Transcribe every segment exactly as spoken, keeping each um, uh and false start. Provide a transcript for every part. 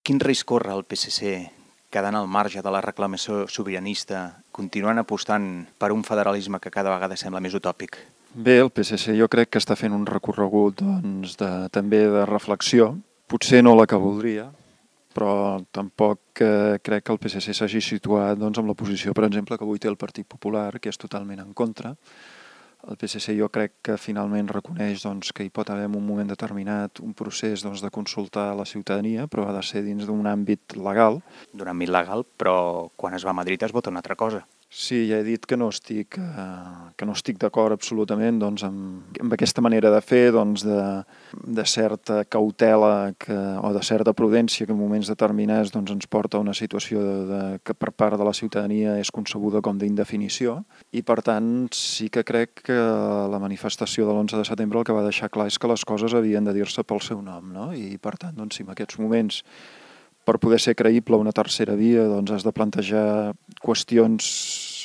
Quin risc corre el P S C quedant al marge de la reclamació sobiranista, continuant apostant per un federalisme que cada vegada sembla més utòpic? Bé, el P S C jo crec que està fent un recorregut doncs, de, també de reflexió. Potser no la que voldria, però tampoc eh, crec que el P S C s'hagi situat doncs, amb la posició, per exemple, que avui té el Partit Popular, que és totalment en contra. El P S C jo crec que finalment reconeix doncs, que hi pot haver en un moment determinat un procés doncs, de consultar a la ciutadania, però ha de ser dins d'un àmbit legal. D'un àmbit legal, però quan es va a Madrid es vota una altra cosa. Sí, ja he dit que no estic, eh, que no estic d'acord absolutament doncs, amb, amb aquesta manera de fer, doncs, de, de certa cautela que, o de certa prudència que en moments determinats doncs, ens porta a una situació de, de, que per part de la ciutadania és concebuda com d'indefinició i per tant sí que crec que la manifestació de l'onze de setembre el que va deixar clar és que les coses havien de dir-se pel seu nom, no? I per tant, doncs, si en aquests moments per poder ser creïble una tercera via doncs has de plantejar qüestions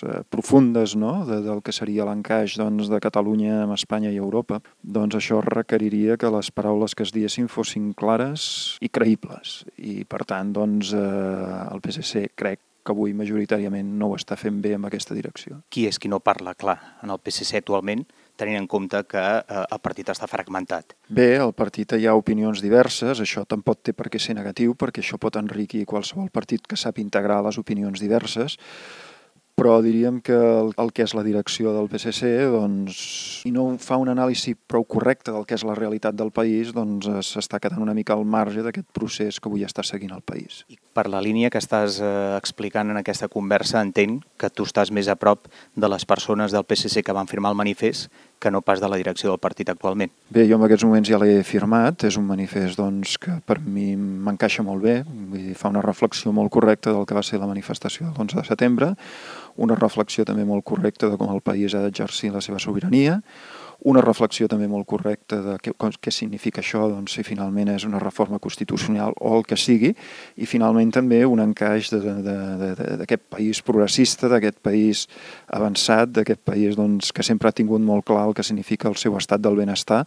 eh, profundes, no? de, del que seria l'encaix doncs, de Catalunya amb Espanya i Europa, doncs això requeriria que les paraules que es diessin fossin clares i creïbles. I per tant, doncs, eh, el P S C crec que avui majoritàriament no ho està fent bé en aquesta direcció. Qui és qui no parla clar en el P S C actualment, tenint en compte que eh, el partit està fragmentat? Bé, al partit hi ha opinions diverses, això tampoc té per què ser negatiu, perquè això pot enriquir qualsevol partit que sap integrar les opinions diverses, però diríem que el, el que és la direcció del P S C, doncs, si no fa un anàlisi prou correcte del que és la realitat del país, doncs s'està quedant una mica al marge d'aquest procés que avui està seguint el país. I per la línia que estàs eh, explicant en aquesta conversa, entenc que tu estàs més a prop de les persones del P S C que van firmar el manifest que no pas de la direcció del partit actualment. Bé, jo en aquests moments ja l'he firmat, és un manifest doncs, que per mi m'encaixa molt bé, vull dir, fa una reflexió molt correcta del que va ser la manifestació de l'onze de setembre, una reflexió també molt correcta de com el país ha d'exercir la seva sobirania, una reflexió també molt correcta de què, què significa això, doncs, si finalment és una reforma constitucional o el que sigui, i finalment també un encaix d'aquest país progressista, d'aquest país avançat, d'aquest país doncs, que sempre ha tingut molt clar el que significa el seu estat del benestar,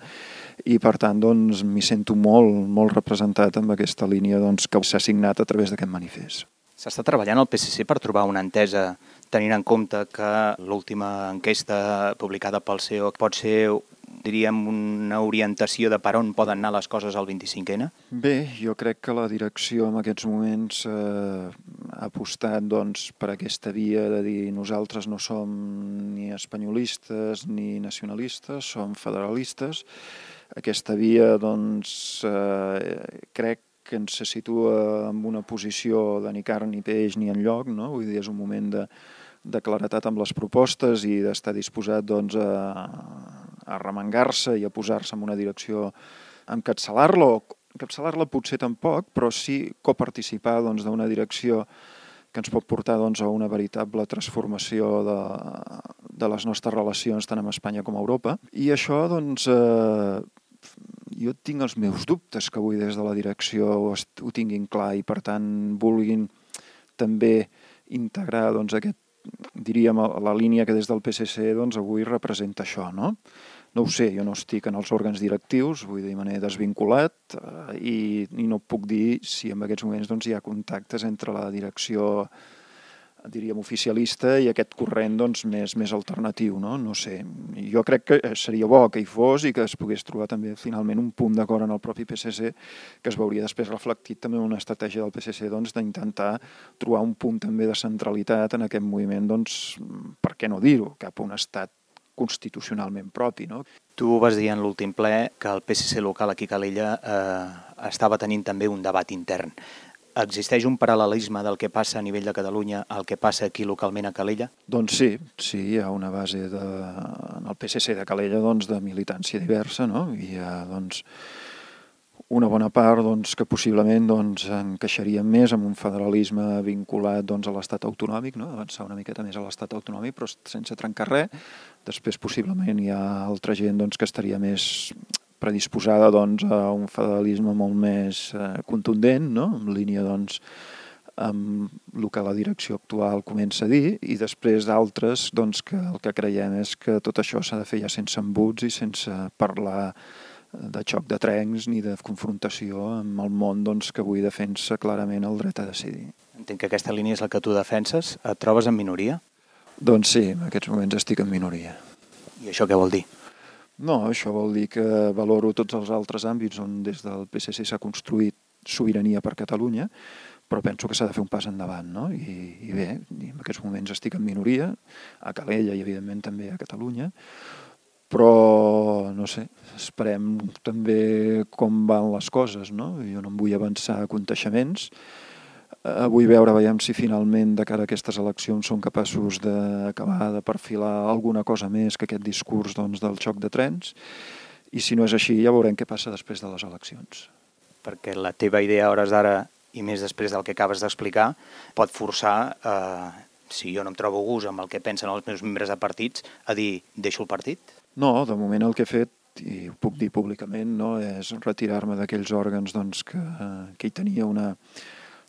i per tant doncs, m'hi sento molt, molt representat amb aquesta línia doncs, que s'ha signat a través d'aquest manifest. S'està treballant al P S C per trobar una entesa, tenint en compte que l'última enquesta publicada pel C E O pot ser, diríem, una orientació de per on poden anar les coses al vint-i-cinc ena? Bé, jo crec que la direcció en aquests moments eh, ha apostat doncs, per aquesta via de dir nosaltres no som ni espanyolistes ni nacionalistes, som federalistes. Aquesta via, doncs, eh, crec que ens se situa en una posició de ni carn ni peix ni enlloc, no? Vull dir, és un moment de, de claretat amb les propostes i d'estar disposat doncs, a, a remengar-se i a posar-se en una direcció, a encapçalar-la, o encapçalar-la potser tampoc, però sí coparticipar doncs, d'una direcció que ens pot portar doncs, a una veritable transformació de, de les nostres relacions tant amb Espanya com a Europa. I això, doncs, eh, jo tinc els meus dubtes que avui des de la direcció ho, ho tinguin clar i per tant vulguin també integrar doncs, aquest, diríem, la línia que des del P S C doncs, avui representa això, no? No ho sé, jo no estic en els òrgans directius, vull dir, me n'he desvinculat eh, i, i no puc dir si en aquests moments doncs, hi ha contactes entre la direcció, diríem, oficialista i aquest corrent doncs, més, més alternatiu, no? No sé, jo crec que seria bo que hi fos i que es pogués trobar també finalment un punt d'acord en el propi P S C que es veuria després reflectit també en una estratègia del P S C doncs, d'intentar trobar un punt també de centralitat en aquest moviment, doncs, per què no dir-ho, cap a un estat constitucionalment propi, no? Tu vas dir en l'últim ple que el P S C local aquí a Calella eh, estava tenint també un debat intern. Existeix un paral·lelisme del que passa a nivell de Catalunya al que passa aquí localment a Calella? Doncs sí, sí, hi ha una base de, en el P S C de Calella doncs, de militància diversa, no? Hi ha doncs, una bona part doncs, que possiblement doncs, encaixaria més amb un federalisme vinculat doncs, a l'estat autonòmic, no? Avançar una miqueta més a l'estat autonòmic però sense trencar res. Després possiblement hi ha altra gent doncs, que estaria més predisposada doncs, a un federalisme molt més eh, contundent, no? En línia doncs, amb el que la direcció actual comença a dir, i després d'altres doncs, que el que creiem és que tot això s'ha de fer ja sense embuts i sense parlar de xoc de trens ni de confrontació amb el món doncs, que avui defensa clarament el dret a decidir. Entenc que aquesta línia és la que tu defenses. Et trobes en minoria? Doncs sí, en aquests moments estic en minoria. I això què vol dir? No, això vol dir que valoro tots els altres àmbits on des del P S C s'ha construït sobirania per Catalunya, però penso que s'ha de fer un pas endavant, no? I, i bé, en aquests moments estic en minoria, a Calella i evidentment també a Catalunya, però no sé, esperem també com van les coses, no? Jo no em vull avançar a conteixements. Eh, vull veure, veiem si finalment de cara a aquestes eleccions són capaços d'acabar de perfilar alguna cosa més que aquest discurs doncs, del xoc de trens, i si no és així ja veurem què passa després de les eleccions. Perquè la teva idea a hores d'ara, i més després del que acabes d'explicar, pot forçar, eh, si jo no em trobo a gust amb el que pensen els meus membres de partits, a dir, deixo el partit? No, de moment el que he fet, i ho puc dir públicament, no, és retirar-me d'aquells òrgans doncs, que, que hi tenia una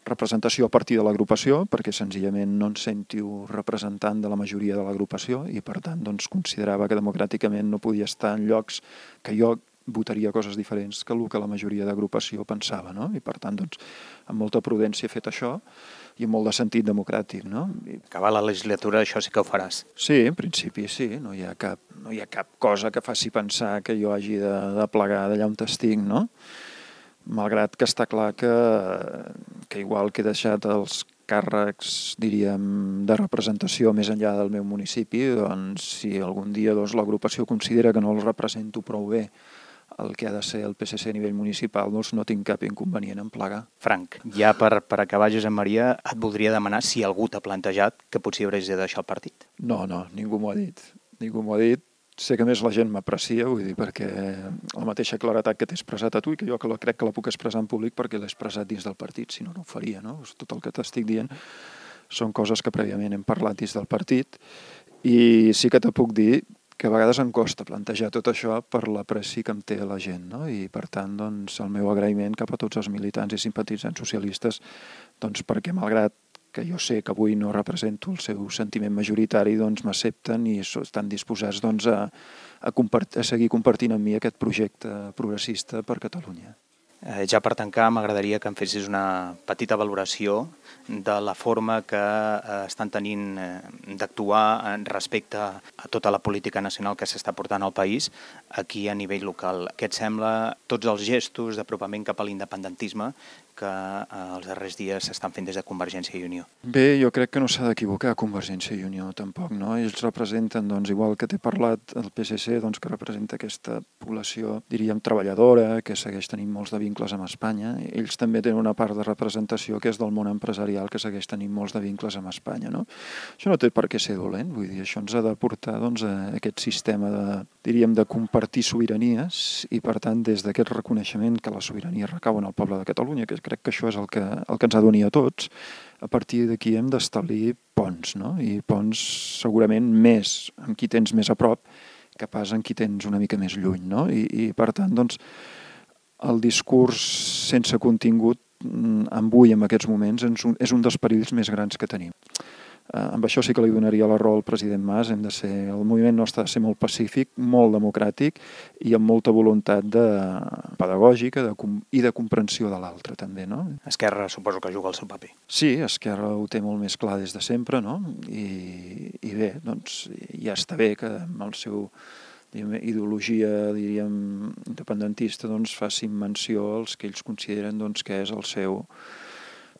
representació a partir de l'agrupació, perquè senzillament no em sentiu representant de la majoria de l'agrupació i per tant doncs, considerava que democràticament no podia estar en llocs que jo votaria coses diferents que el que la majoria d'agrupació pensava, no? I per tant, doncs, amb molta prudència he fet això i amb molt de sentit democràtic, no? I... Acabar la legislatura, això sí que ho faràs. Sí, en principi sí, no hi ha cap, no hi ha cap cosa que faci pensar que jo hagi de, de plegar d'allà on estic, no? Malgrat que està clar que, que igual que he deixat els càrrecs, diríem, de representació més enllà del meu municipi, doncs si algun dia doncs, l'agrupació considera que no el represento prou bé el que ha de ser el P S C a nivell municipal, doncs no tinc cap inconvenient en plegar. Frank, ja per, per acabar, Josep Maria, et voldria demanar si algú t'ha plantejat que potser hauries de deixar el partit. No, no, ningú m'ho ha dit. Ningú m'ho ha dit. Sé que més la gent m'aprecia, vull dir, perquè la mateixa claretat que t'he expressat a tu i que jo que la, crec que la puc expressar en públic perquè l'he expressat dins del partit, si no, no ho faria, no? Tot el que t'estic dient són coses que prèviament hem parlat dins del partit i sí que te puc dir que a vegades em costa plantejar tot això per l'apreci que em té la gent, no? I per tant, doncs, el meu agraïment cap a tots els militants i simpatitzants socialistes, doncs perquè malgrat que jo sé que avui no represento el seu sentiment majoritari, doncs m'accepten i estan disposats doncs, a, a, compart- a seguir compartint amb mi aquest projecte progressista per Catalunya. Eh, ja per tancar, m'agradaria que em fessis una petita valoració de la forma que eh, estan tenint eh, d'actuar respecte a tota la política nacional que s'està portant al país aquí a nivell local. Què et sembla tots els gestos d'apropament cap a l'independentisme que eh, els darrers dies s'estan fent des de Convergència i Unió? Bé, jo crec que no s'ha d'equivocar Convergència i Unió tampoc, no? Ells representen, doncs, igual que t'he parlat el P S C, doncs, que representa aquesta població, diríem, treballadora, que segueix tenint molts de vincles amb Espanya. Ells també tenen una part de representació que és del món empresarial, que segueix tenint molts de vincles amb Espanya, no? Això no té per què ser dolent, vull dir, això ens ha de portar, doncs, a aquest sistema de, diríem, de compartir sobiranies i, per tant, des d'aquest reconeixement que la sobirania recau en el poble de Catalunya, que crec que això és el que, el que ens ha d'unir a tots, a partir d'aquí hem d'establir ponts, no? I ponts segurament més amb qui tens més a prop que pas amb qui tens una mica més lluny, no? I, i per tant, doncs, el discurs sense contingut avui, en aquests moments, és un, és un dels perills més grans que tenim. Eh, amb això sí que li donaria la raó al president Mas, hem de ser, el moviment nostre ha de ser molt pacífic, molt democràtic i amb molta voluntat de, pedagògica de, i de comprensió de l'altre també, no? Esquerra suposo que juga el seu paper. Sí, Esquerra ho té molt més clar des de sempre, no? I, i bé, doncs ja està bé que amb el seu diguem, ideologia, diríem, independentista, doncs facin menció als que ells consideren doncs, que és el seu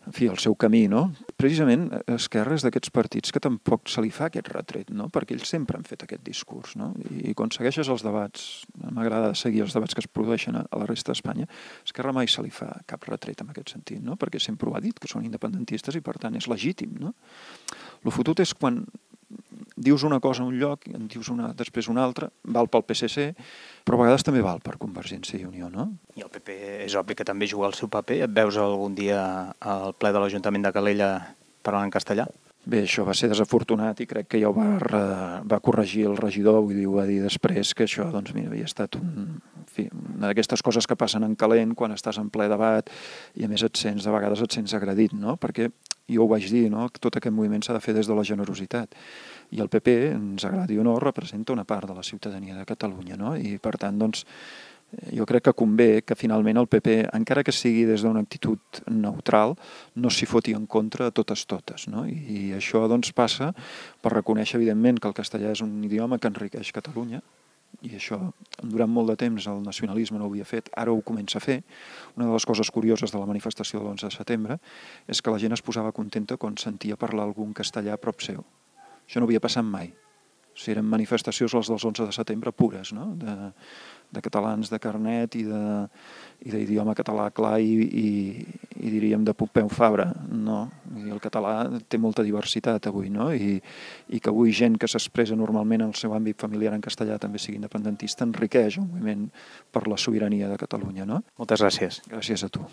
en fi, el seu camí, no? Precisament Esquerra és d'aquests partits que tampoc se li fa aquest retret, no? Perquè ells sempre han fet aquest discurs, no? I quan segueixes els debats, m'agrada seguir els debats que es produeixen a la resta d'Espanya, Esquerra mai se li fa cap retret en aquest sentit, no? Perquè sempre ho ha dit, que són independentistes i per tant és legítim, no? Lo fotut és quan dius una cosa a un lloc, en dius una, després una altra, val pel P S C, però a vegades també val per Convergència i Unió, no? I el P P és obvi que també juga el seu paper. Et veus algun dia al ple de l'Ajuntament de Calella parlant en castellà? Bé, això va ser desafortunat i crec que ja ho va, va corregir el regidor, vull dir, ho va dir després, que això, doncs, mira, havia estat un, en fi, una d'aquestes coses que passen en calent quan estàs en ple debat i a més et sents, de vegades et sents agredit, no? Perquè jo ho vaig dir, no? Que tot aquest moviment s'ha de fer des de la generositat. I el P P, ens agradi o no, representa una part de la ciutadania de Catalunya, no? I per tant, doncs, Jo crec que convé que finalment el P P, encara que sigui des d'una actitud neutral, no s'hi foti en contra a totes totes, no? I, i això doncs passa per reconèixer evidentment que el castellà és un idioma que enriqueix Catalunya, i això durant molt de temps el nacionalisme no ho havia fet, ara ho comença a fer. Una de les coses curioses de la manifestació de l'onze de setembre és que la gent es posava contenta quan sentia parlar algun castellà a prop seu. Això no havia passat mai. O sigui, eren manifestacions les dels onze de setembre pures, no? de, de catalans de carnet i d'idioma català clar i, i, i diríem de Pompeu Fabra. No, i el català té molta diversitat avui, no? I, i que avui gent que s'expressa normalment en el seu àmbit familiar en castellà també sigui independentista enriqueix el moviment per la sobirania de Catalunya. No? Moltes gràcies. Gràcies a tu.